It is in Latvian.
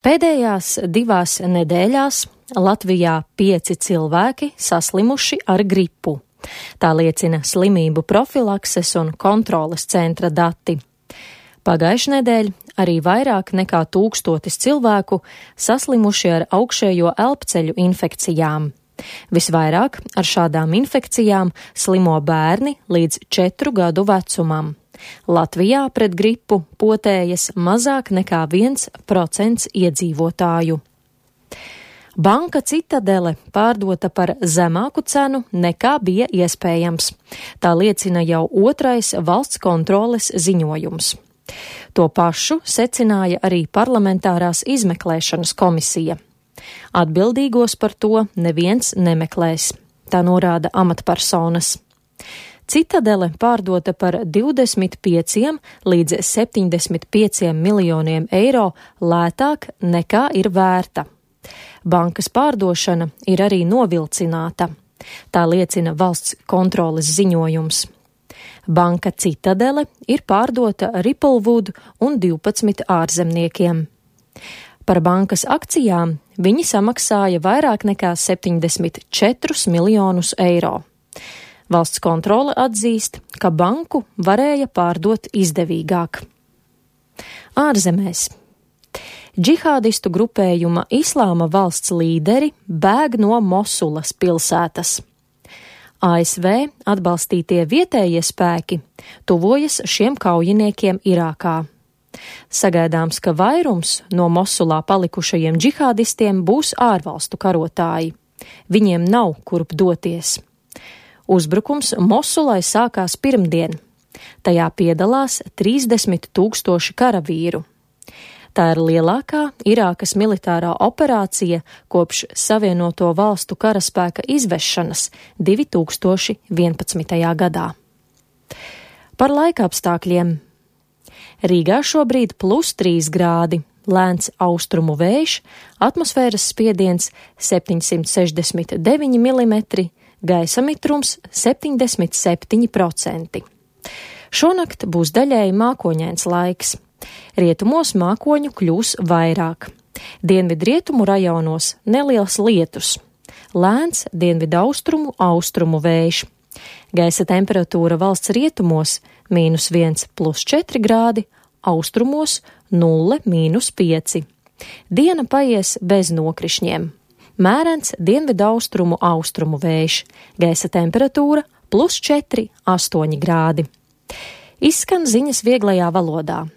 Pēdējās 2 nedēļās Latvijā 5 cilvēki saslimuši ar gripu. Tā liecina slimību profilakses un kontroles centra dati. Pagājušajā nedēļā arī vairāk nekā 1000 cilvēku saslimuši ar augšējo elpceļu infekcijām. Visvairāk ar šādām infekcijām slimo bērni līdz 4 gadu vecumam. Latvijā pret gripu potējas mazāk nekā 1% iedzīvotāju. Banka Citadele pārdota par zemāku cenu nekā bija iespējams. Tā liecina jau 2. valsts kontroles ziņojums. To pašu secināja arī parlamentārās izmeklēšanas komisija. Atbildīgos par to neviens nemeklēs, tā norāda amatpersonas. Citadele pārdota par 25 līdz 75 miljoniem eiro lētāk nekā ir vērta. Bankas pārdošana ir arī novilcināta. Tā liecina valsts kontroles ziņojums. Banka Citadele ir pārdota Ripplewood un 12 ārzemniekiem. Par bankas akcijām viņi samaksāja vairāk nekā 74 miljonus eiro. Valsts kontrole atzīst, ka banku varēja pārdot izdevīgāk. Ārzemēs. Džihādistu grupējuma Islāma valsts līderi bēg no Mosulas pilsētas. ASV atbalstītie vietējie spēki tuvojas šiem kaujiniekiem Irākā. Sagaidāms, ka vairums no Mosulā palikušajiem džihādistiem būs ārvalstu karotāji. Viņiem nav kurp doties. Uzbrukums Mosulai sākās pirmdien. Tajā piedalās 30 000 karavīru. Tā ir lielākā Irākas militārā operācija kopš Savienoto valstu karaspēka izvešanas 2011. gadā. Par laikapstākļiem. Rīgā šobrīd +3 grādi, lēns austrumu vējš, atmosfēras spiediens 769 mm, gaisa mitrums 77%. Šonakt būs daļēji mākoņains laiks. Rietumos mākoņu kļūs vairāk. Dienvidrietumu rajonos neliels lietus. Lēns dienvidaustrumu austrumu vējš. Gaisa temperatūra valsts rietumos -1 + 4 grādi, austrumos 0 - 5. Diena paies bez nokrišņiem. Mērens dienvidaustrumu austrumu vējš. Gaisa temperatūra +4 - 8 grādi. Izskan ziņas vieglajā valodā.